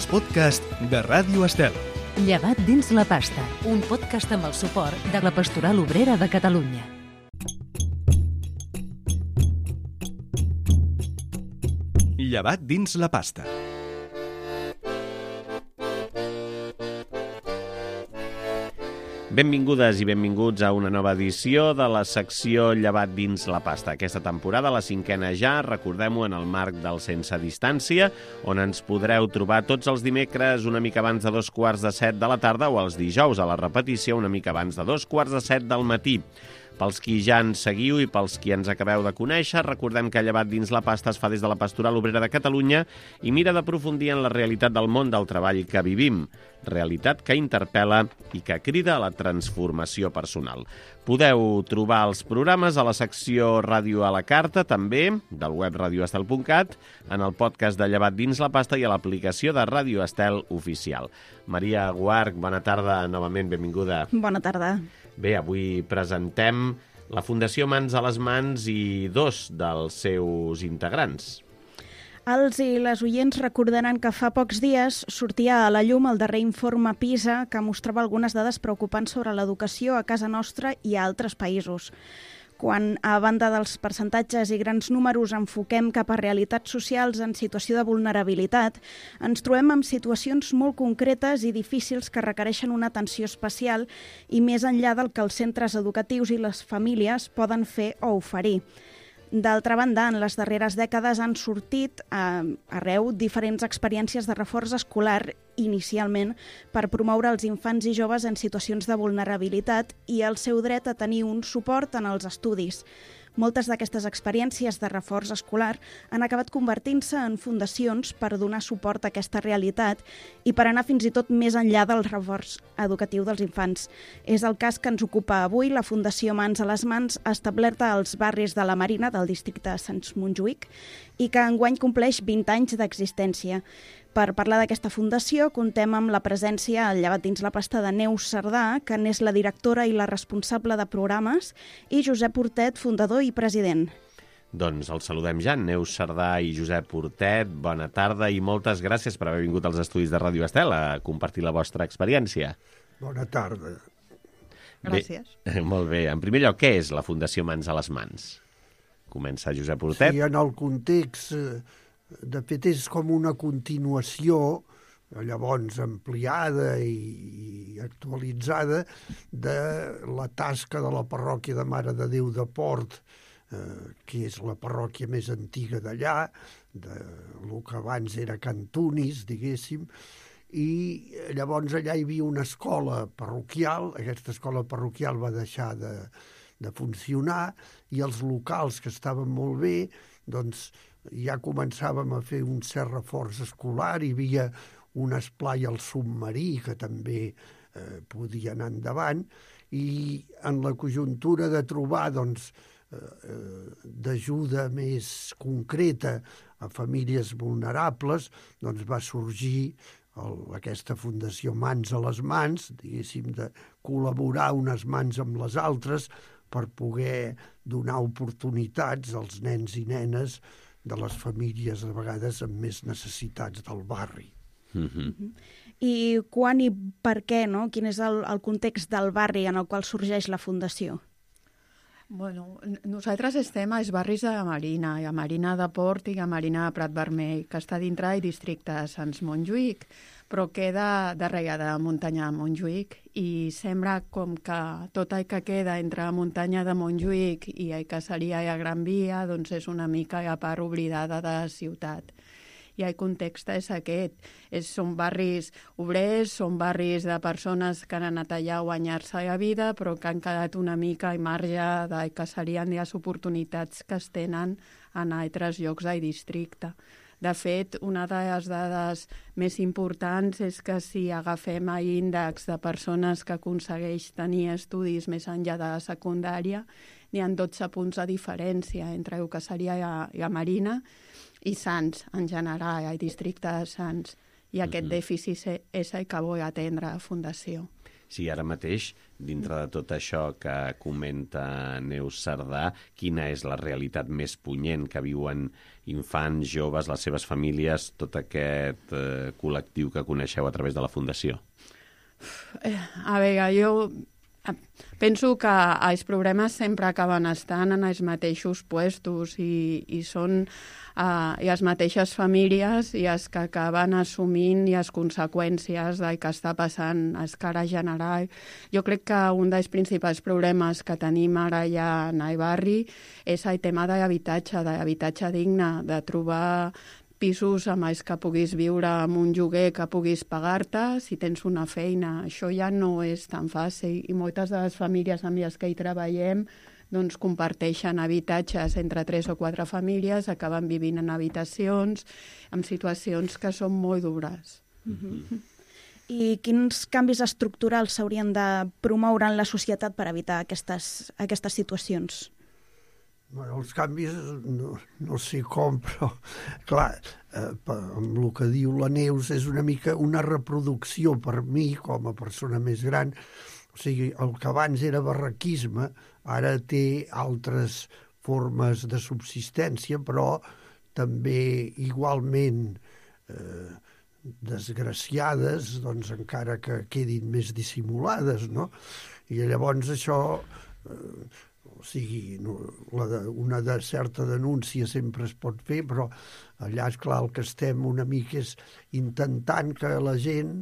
els podcasts de Ràdio Estel. Llevat dins la pasta, un podcast amb el suport de la Pastoral Obrera de Catalunya. Llevat dins la pasta. Benvingudes i benvinguts a una nova edició de la secció Llevat dins la pasta. Aquesta temporada, la 5a ja, recordem-ho, en el marc del Sense Distància, on ens podreu trobar tots els dimecres una mica abans de 6:45 de la tarda o els dijous a la repetició una mica abans de 6:45 del matí. Pels qui ja ens seguiu i pels qui ens acabeu de conèixer, recordem que Llevat dins la pasta es fa des de la Pastoral Obrera de Catalunya i mira d'aprofundir en la realitat del món del treball que vivim, realitat que interpel·la i que crida a la transformació personal. Podeu trobar els programes a la secció Ràdio a la Carta, també, del web radioestel.cat, en el podcast de Llevat dins la pasta i a l'aplicació de Ràdio Estel oficial. Maria Guarch, bona tarda, novament, benvinguda. Bona tarda. Bé, avui presentem la Fundació Mans a les Mans i dos dels seus integrants. Els i les oients recordaran que fa pocs dies sortia a la llum el darrer informe PISA que mostrava algunes dades preocupants sobre l'educació a casa nostra i a altres països. Quan, a banda dels percentatges i grans números, enfoquem cap a realitats socials en situació de vulnerabilitat, ens trobem amb situacions molt concretes i difícils que requereixen una atenció especial i més enllà del que els centres educatius i les famílies poden fer o oferir. D'altra banda, en les darreres dècades han sortit arreu diferents experiències de reforç escolar, inicialment per promoure els infants i joves en situacions de vulnerabilitat i el seu dret a tenir un suport en els estudis. Moltes d'aquestes experiències de reforç escolar han acabat convertint-se en fundacions per donar suport a aquesta realitat i per anar fins i tot més enllà del reforç educatiu dels infants. És el cas que ens ocupa avui la Fundació Mans a les Mans, establerta als barris de la Marina del districte de Sants Montjuïc i que enguany compleix 20 anys d'existència. Per parlar d'aquesta fundació, contem amb la presència al Llevat dins la pasta de Neus Cerdà, que n'és la directora i la responsable de programes, i Josep Hortet, fundador i president. Doncs els saludem ja, Neus Cerdà i Josep Hortet. Bona tarda i moltes gràcies per haver vingut als estudis de Ràdio Estel a compartir la vostra experiència. Bona tarda. Gràcies. Bé, molt bé. En primer lloc, què és la Fundació Mans a les Mans? Comença Josep Hortet. Sí, en el context... De fet, és com una continuació, llavors ampliada i actualitzada, de la tasca de la parròquia de Mare de Déu de Port, que és la parròquia més antiga d'allà, el que abans era Can Tunis, diguéssim, i llavors allà hi havia una escola parroquial. Aquesta escola parroquial va deixar de funcionar i els locals, que estaven molt bé, doncs ja començàvem a fer un cert reforç escolar, hi havia un esplai al submarí que també podia anar endavant, i en la conjuntura de trobar d'ajuda més concreta a famílies vulnerables, doncs va sorgir aquesta Fundació Mans a les Mans, diguéssim, de col·laborar unes mans amb les altres per poder donar oportunitats als nens i nenes de les famílies, a vegades amb més necessitats del barri. I quan i per què, no? Quin és el context del barri en el qual sorgeix la Fundació? Bueno, nosaltres estem als barris de Marina, a Marina de Port i a Marina de Prat Vermell, que està dintre del districte de Sants Montjuïc, però queda darrere de muntanya de Montjuïc i sembla com que tot el que queda entre la muntanya de Montjuïc i el que seria la Gran Via doncs és una mica la part oblidada de la ciutat. I el context és aquest. Són barris obrers, són barris de persones que han anat allà a guanyar-se la vida, però que han quedat una mica al marge del que serien les oportunitats que es tenen en altres llocs del districte. De fet, una de les dades més importants és que si agafem l'índex de persones que aconsegueix tenir estudis més enllà de la secundària, n'hi ha 12 punts de diferència entre el que seria la Marina i Sants, en general, el districte de Sants. I aquest dèficit és el que vol atendre la Fundació. Sí, ara mateix, dintre de tot això que comenta Neus Cerdà, quina és la realitat més punyent que viuen infants, joves, les seves famílies, tot aquest col·lectiu que coneixeu a través de la Fundació? A veure, jo penso que els problemes sempre acaben estant en els mateixos puestos i són les mateixes famílies i els que acaben assumint les conseqüències del que està passant a escala general. Jo crec que un dels principals problemes que tenim ara ja en el barri és el tema de l'habitatge digne, de trobar pisos amb els que puguis viure amb un lloguer que puguis pagar-te si tens una feina. Això ja no és tan fàcil i moltes de les famílies amb les que hi treballem doncs comparteixen habitatges entre 3 o 4 famílies, acaben vivint en habitacions, en situacions que són molt dures. I quins canvis estructurals s'haurien de promoure en la societat per evitar aquestes situacions? Bueno, els canvis no sé com, però clar, amb el que diu la Neus és una mica una reproducció per mi com a persona més gran. O sigui, el que abans era barraquisme ara té altres formes de subsistència, però també igualment desgraciades, doncs encara que quedin més dissimulades, no? I llavors això... O sigui, una certa denúncia sempre es pot fer, però allà, esclar, el que estem una mica és intentant que la gent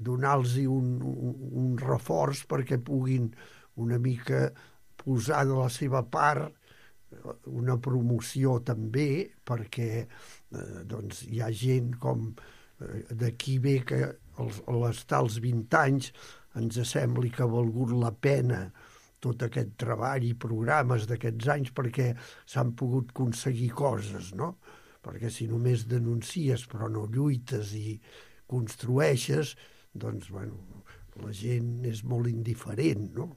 donar-los un reforç perquè puguin una mica posar de la seva part una promoció també, perquè doncs, hi ha gent com d'aquí ve que estar als 20 anys ens sembli que ha valgut la pena tot aquest treball i programes d'aquests anys perquè s'han pogut aconseguir coses, no? Perquè si només denuncies però no lluites i construeixes, doncs, bueno, la gent és molt indiferent, no?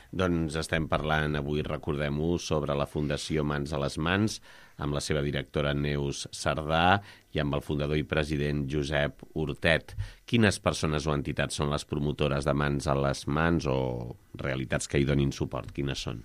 Doncs estem parlant avui, recordem-ho, sobre la Fundació Mans a les Mans, amb la seva directora Neus Cerdà i amb el fundador i president Josep Hortet. Quines persones o entitats són les promotores de Mans a les Mans o realitats que hi donin suport? Quines són?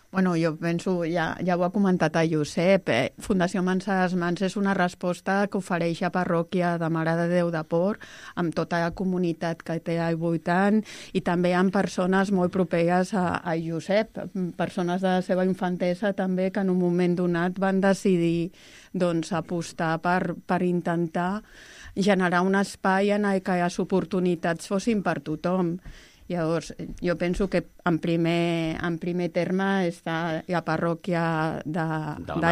Bueno, jo penso, ja ho ha comentat el Josep, Fundació Mans a les Mans és una resposta que ofereix a parròquia de Mare de Déu de Port, amb tota la comunitat que té al voltant, i també amb persones molt properes a Josep, persones de la seva infantesa també que en un moment donat van decidir doncs, apostar per intentar generar un espai en el que les oportunitats fossin per tothom. Llavors, jo penso que en primer terme està la parròquia de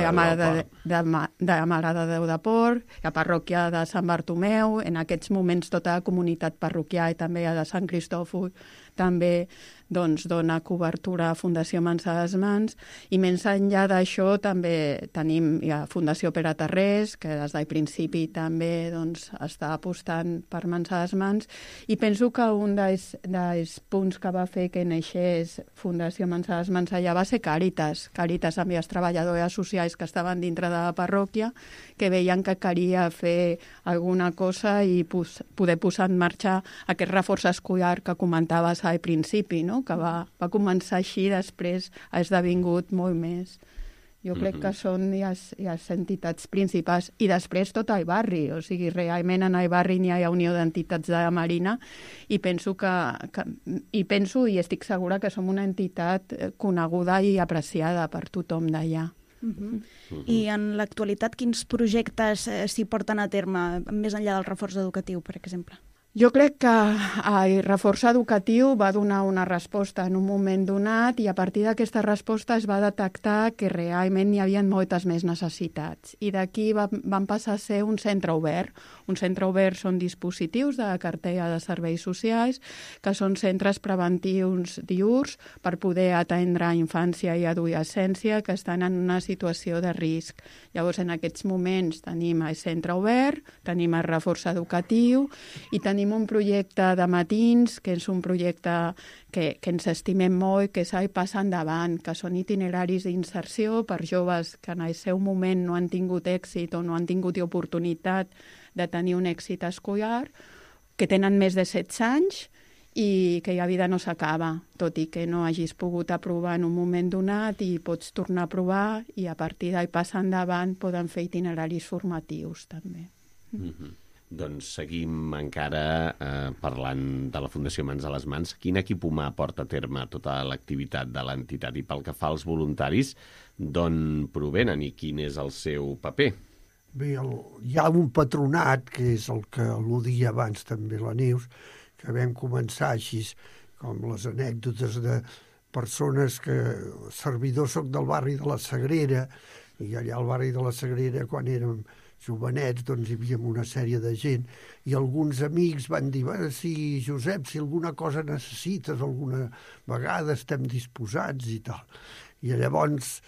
la Mare de Déu de Port, la parròquia de Sant Bartomeu, en aquests moments tota la comunitat parroquial i també la de Sant Cristòfol també doncs, dona cobertura a Fundació Mans a les Mans, i més enllà d'això també tenim la Fundació Pere Tarrés, que des del principi també doncs, està apostant per Mans a les Mans, i penso que un dels punts que va fer que naixés Fundació Mans a les Mans allà va ser Càritas amb les treballadores socials que estaven dintre de la parròquia, que veien que calia fer alguna cosa i poder posar en marxa aquest reforç escolar que comentaves al principi, no? Que va començar així, després ha esdevingut molt més. Jo crec que són les entitats principals. I després tot el barri, o sigui, realment en el barri n'hi ha la Unió d'Entitats de la Marina i penso i estic segura que som una entitat coneguda i apreciada per tothom d'allà. I en l'actualitat quins projectes s'hi porten a terme, més enllà del reforç educatiu, per exemple? Jo crec que el reforç educatiu va donar una resposta en un moment donat i a partir d'aquesta resposta es va detectar que realment hi havia moltes més necessitats. I d'aquí van passar a ser un centre obert. Un centre obert són dispositius de la cartella de serveis socials que són centres preventius diürns per poder atendre infància i adolescència que estan en una situació de risc. Llavors, en aquests moments tenim el centre obert, tenim el reforç educatiu i tenim un projecte de matins, que és un projecte que ens estimem molt, que és el Pas Endavant, que són itineraris d'inserció per joves que en el seu moment no han tingut èxit o no han tingut oportunitat de tenir un èxit escolar, que tenen més de 16 anys i que la vida no s'acaba, tot i que no hagis pogut aprovar en un moment donat i pots tornar a provar i a partir d'ahí passar endavant poden fer itineraris formatius també. Doncs seguim encara parlant de la Fundació Mans a les Mans. Quin equip humà porta a terme tota l'activitat de l'entitat i pel que fa als voluntaris, d'on provenen i quin és el seu paper? Bé, hi ha un patronat, que és el que al·ludia abans també la Neus, que vam començar així, com les anècdotes de persones que... Servidor soc del barri de la Sagrera, i allà al barri de la Sagrera, quan érem jovenets, doncs hi havia una sèrie de gent, i alguns amics van dir, si Josep, si alguna cosa necessites, alguna vegada estem disposats i tal. I llavors,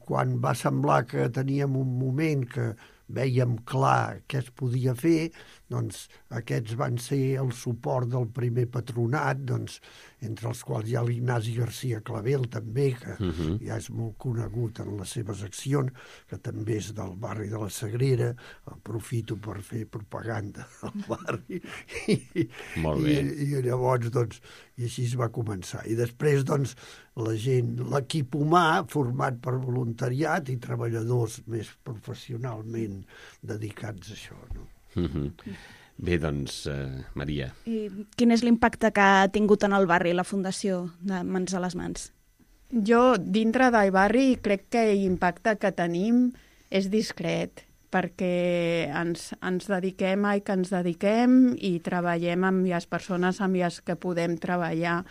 quan va semblar que teníem un moment que vèiem clar què es podia fer, doncs aquests van ser el suport del primer patronat, doncs, entre els quals hi ha l'Ignasi García Clavel, també, que ja és molt conegut en les seves accions, que també és del barri de la Sagrera, aprofito per fer propaganda al barri. Molt bé. I llavors, doncs, i així es va començar. I després, doncs, la gent, l'equip humà, format per voluntariat i treballadors més professionalment dedicats a això, no? Bé, doncs, Maria. I quin és l'impacte que ha tingut en el barri la Fundació de Mans a les Mans? Jo, dintre del barri, crec que l'impacte que tenim és discret, perquè ens dediquem al que ens dediquem i treballem amb les persones amb les que podem treballar.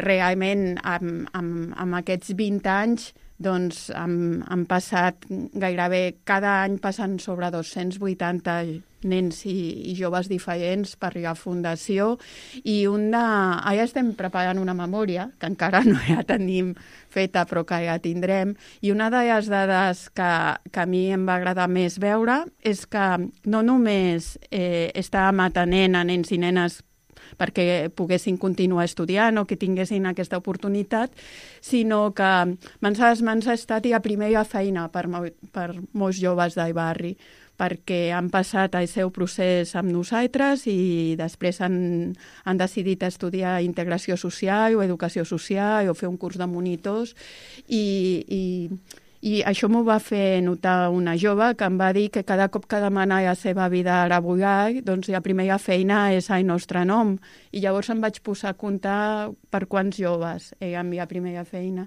Realment, amb aquests 20 anys, doncs han passat gairebé cada any passen sobre 280 nens i joves diferents per la Fundació i ara estem preparant una memòria, que encara no la tenim feta però que ja tindrem, i una de les dades que a mi em va agradar més veure és que no només estàvem atenent a nens i nenes perquè poguessin continuar estudiant o que tinguessin aquesta oportunitat, sinó que Mans a les Mans ha estat la primera feina per molts joves del barri, perquè han passat el seu procés amb nosaltres i després han decidit estudiar integració social o educació social o fer un curs de monitors i això m'ho va fer notar una jove que em va dir que cada cop que demana la seva vida laboral, doncs la primera feina és el nostre nom. I llavors em vaig posar a comptar per quants joves amb la primera feina.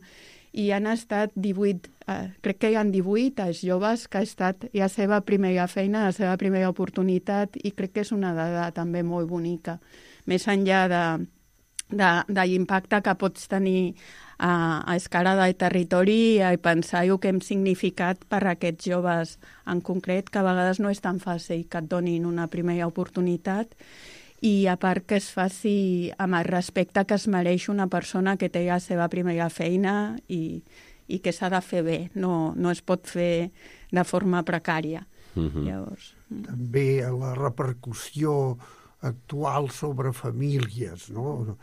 I han estat 18, crec que hi ha 18 els joves que ha estat la seva primera feina, la seva primera oportunitat, i crec que és una dada també molt bonica. Més enllà de l'impacte que pots tenir a escala del territori i pensar el que hem significat per a aquests joves en concret, que a vegades no és tan fàcil que et donin una primera oportunitat i a part que es faci amb el respecte que es mereix una persona que té la seva primera feina i que s'ha de fer bé, no es pot fer de forma precària. Llavors... També la repercussió actual sobre famílies, no?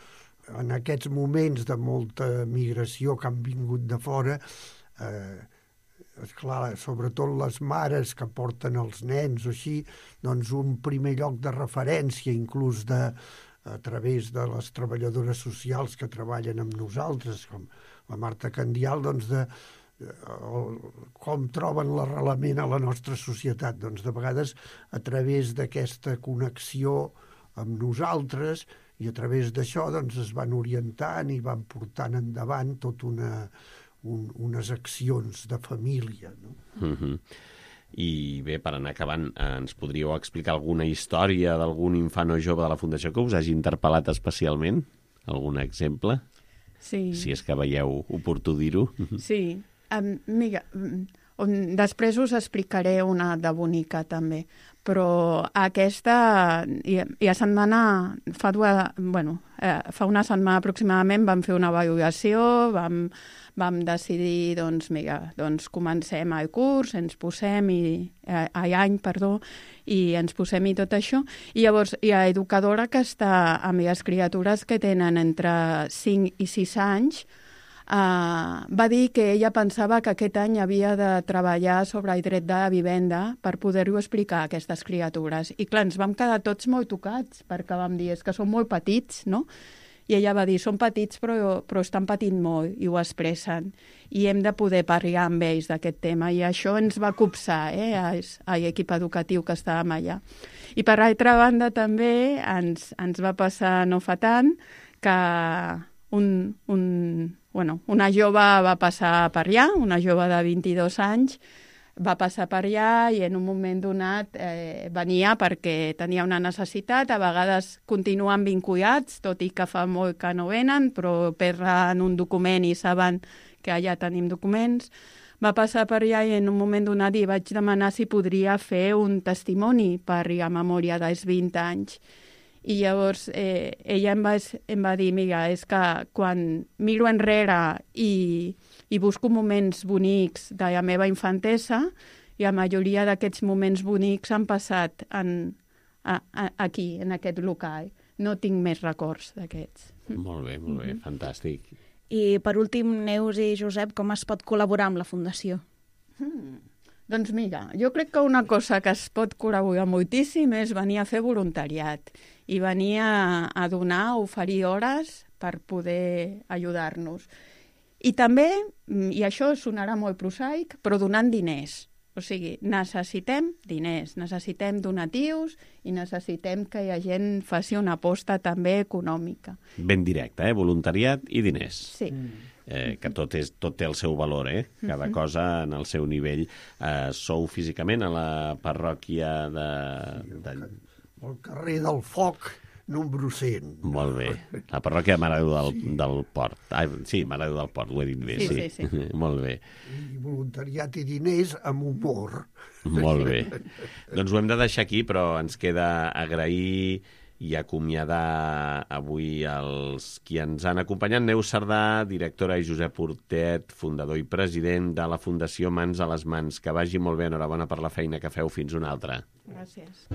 En aquests moments de molta migració que han vingut de fora, esclar, sobretot les mares que porten els nens o així, doncs un primer lloc de referència, inclús a través de les treballadores socials que treballen amb nosaltres, com la Marta Candial, doncs com troben l'arrelament a la nostra societat. Doncs de vegades a través d'aquesta connexió amb nosaltres i a través d'això doncs, es van orientant i van portant endavant tot unes accions de família. No? I bé, per anar acabant, ens podríeu explicar alguna història d'algun infant o jove de la Fundació que us hagi interpel·lat especialment? Algun exemple? Sí. Si és que veieu oportú dir-ho. Sí. Mira, després us explicaré una de bonica també, però aquesta fa una setmana aproximadament vam fer una valoració, vam decidir, doncs comencem el curs, ens posem i ens posem-hi tot això, i llavors hi ha educadora que està amb les criatures que tenen entre 5 i 6 anys, va dir que ella pensava que aquest any havia de treballar sobre el dret de vivenda per poder-ho explicar a aquestes criatures. I clar, ens vam quedar tots molt tocats, perquè vam dir, és que són molt petits, no? I ella va dir, són petits però estan patint molt i ho expressen. I hem de poder parlar amb ells d'aquest tema. I això ens va copsar a l'equip educatiu que estàvem allà. I per altra banda també ens va passar no fa tant que una jove va passar per allà, una jove de 22 anys, va passar per allà i en un moment donat venia perquè tenia una necessitat. A vegades continuen vinculats, tot i que fa molt que no venen, però perden un document i saben que allà tenim documents. Va passar per allà i en un moment donat li vaig demanar si podria fer un testimoni per la memòria dels 20 anys. I llavors ella em va dir, mira, és que quan miro enrere i busco moments bonics de la meva infantesa, i la majoria d'aquests moments bonics han passat aquí, en aquest local. No tinc més records d'aquests. Molt bé, fantàstic. I per últim, Neus i Josep, com es pot col·laborar amb la Fundació? Doncs mira, jo crec que una cosa que es pot col·laborar moltíssim és venir a fer voluntariat i venir a donar, a oferir hores per poder ajudar-nos. I també, i això sonarà molt prosaic, però donant diners. O sigui, necessitem diners, necessitem donatius i necessitem que la gent faci una aposta també econòmica. Ben directe, voluntariat i diners. Sí. Que tot té el seu valor, cada cosa en el seu nivell. Sou físicament a la parròquia al carrer del Foc, número 100. Molt bé. La parròquia de Mare de Déu del Port. Sí, Mare de Déu del Port, ho he dit bé. Sí. Molt bé. I voluntariat i diners amb humor. Molt bé. Doncs ho hem de deixar aquí, però ens queda agrair i acomiadar avui els qui ens han acompanyat. Neus Cerdà, directora, i Josep Portet, fundador i president de la Fundació Mans a les Mans. Que vagi molt bé, enhorabona per la feina que feu. Fins una altra. Gràcies.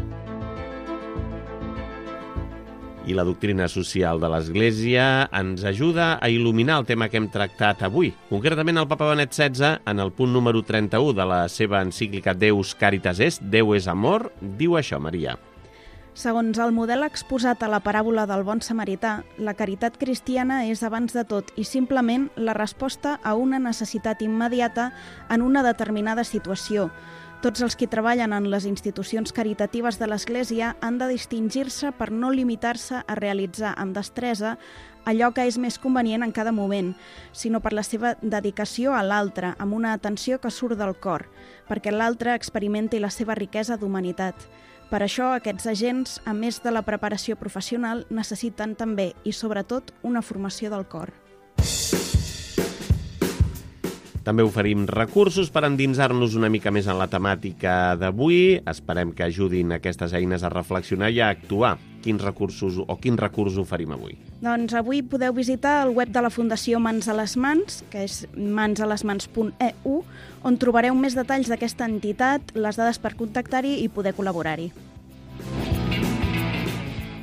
I la doctrina social de l'Església ens ajuda a il·luminar el tema que hem tractat avui. Concretament, el Papa Benet XVI, en el punt número 31 de la seva encíclica Deus Caritas Est, Déu és amor, diu això, Maria. Segons el model exposat a la paràbola del bon samarità, la caritat cristiana és abans de tot i simplement la resposta a una necessitat immediata en una determinada situació. Tots els que treballen en les institucions caritatives de l'Església han de distingir-se per no limitar-se a realitzar amb destresa allò que és més convenient en cada moment, sinó per la seva dedicació a l'altre, amb una atenció que surt del cor, perquè l'altre experimenti la seva riquesa d'humanitat. Per això, aquests agents, a més de la preparació professional, necessiten també i, sobretot, una formació del cor. També oferim recursos per endinsar-nos una mica més en la temàtica d'avui. Esperem que ajudin aquestes eines a reflexionar i a actuar. Quins recursos oferim avui? Doncs avui podeu visitar el web de la Fundació Mans a les Mans, que és mansalesmans.eu, on trobareu més detalls d'aquesta entitat, les dades per contactar-hi i poder col·laborar-hi.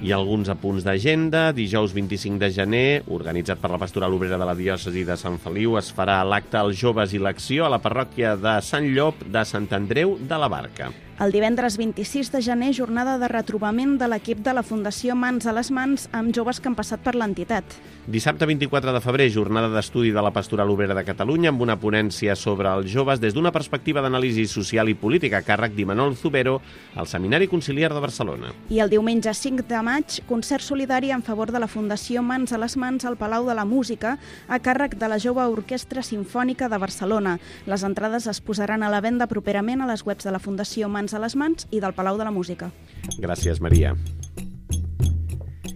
I alguns apunts d'agenda. Dijous 25 de gener, organitzat per la Pastoral Obrera de la Diòcesi de Sant Feliu, es farà l'acte Els Joves i l'Acció a la parròquia de Sant Llop de Sant Andreu de la Barca. El divendres 26 de gener, jornada de retrobament de l'equip de la Fundació Mans a les Mans amb joves que han passat per l'entitat. Dissabte 24 de febrer, jornada d'estudi de la Pastoral Obrera de Catalunya amb una ponència sobre els joves des d'una perspectiva d'anàlisi social i política a càrrec d'Imanol Zubero al Seminari Conciliar de Barcelona. I el diumenge 5 de maig, concert solidari en favor de la Fundació Mans a les Mans al Palau de la Música a càrrec de la Jove Orquestra Simfònica de Barcelona. Les entrades es posaran a la venda properament a les webs de la Fundació Mans a les Mans i del Palau de la Música. Gràcies, Maria.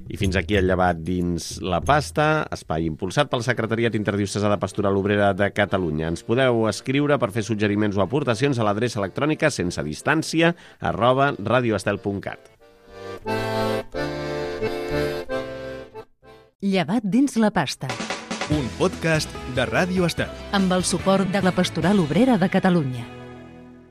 I fins aquí el llevat dins la pasta, espai impulsat pel Secretariat Interdiocesà de Pastoral Obrera de Catalunya. Ens podeu escriure per fer suggeriments o aportacions a l'adreça electrònica sensedistància@radioestel.cat. Llevat dins la pasta. Un podcast de Ràdio Estel. Amb el suport de la Pastoral Obrera de Catalunya.